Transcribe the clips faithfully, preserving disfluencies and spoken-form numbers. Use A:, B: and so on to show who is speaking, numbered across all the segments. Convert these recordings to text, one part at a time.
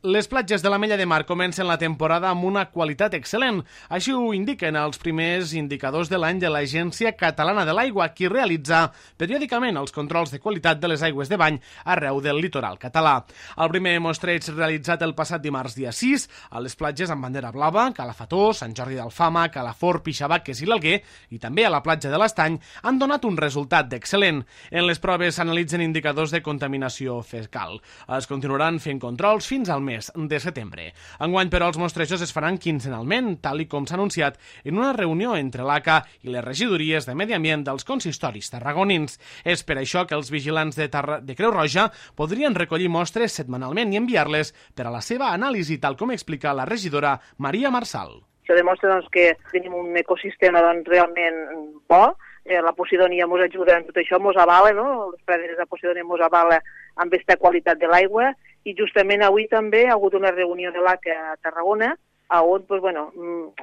A: Les platges de l'Ametlla de Mar comencen la temporada amb una qualitat excel·lent. Així ho indiquen els primers indicadors de l'any de l'Agència Catalana de l'Aigua, qui realitza periòdicament els controls de qualitat de les aigües de bany arreu del litoral català. El primer mostreig realitzat el passat dimarts dia sis a les platges amb bandera blava, Calafató, Sant Jordi d'Alfama, Calafort, Pixabaques i l'Alguer, i també a la platja de l'Estany, han donat un resultat d'excel·lent. En les proves s'analitzen indicadors de contaminació fecal. Es continuaran fent controls fins al mes de setembre. Enguany, però, els mostrejos es faran quinzenalment, tal i com s'ha anunciat en una reunió entre l'A C A i les regidories de Medi Ambient dels consistoris tarragonins. És per això que els vigilants de, Tarra... de Creu Roja podrien recollir mostres setmanalment i enviar-les per a la seva anàlisi, tal com explica la regidora Maria Marsal.
B: Això demostra doncs, que tenim un ecosistema doncs, realment bo. Eh, la Posidonia ens ajuda en tot això, ens avala, no? Les praderes de Posidonia ens avala amb aquesta qualitat de l'aigua, i justament avui també ha hagut una reunió de l'A C A a Tarragona, on, doncs, bueno,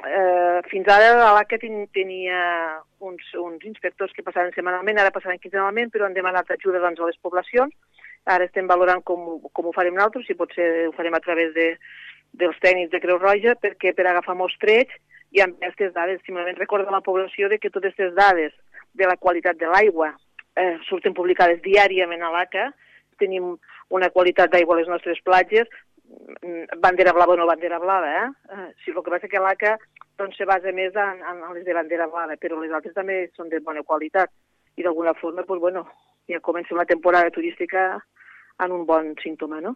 B: eh, fins ara l'A C A ten, tenia uns, uns inspectors que passaven setmanalment, ara passaven quinzenalment, però han demanat ajuda doncs, a les poblacions. Ara estem valorant com, com ho farem nosaltres, si potser ho farem a través de, dels tècnics de Creu Roja, perquè per agafar mostreig i amb aquestes dades, simplement recordar a la població de que totes aquestes dades de la qualitat de l'aigua eh, surten publicades diàriament a l'A C A. Tenim una qualitat d'aigua a les nostres platges, bandera blava o no bandera blava, eh? eh si el que passa que l'A C A doncs, se basa més en, en les de bandera blava, però les altres també són de bona qualitat. I d'alguna forma, doncs, bueno, ja comencem la temporada turística en un bon símptoma, no?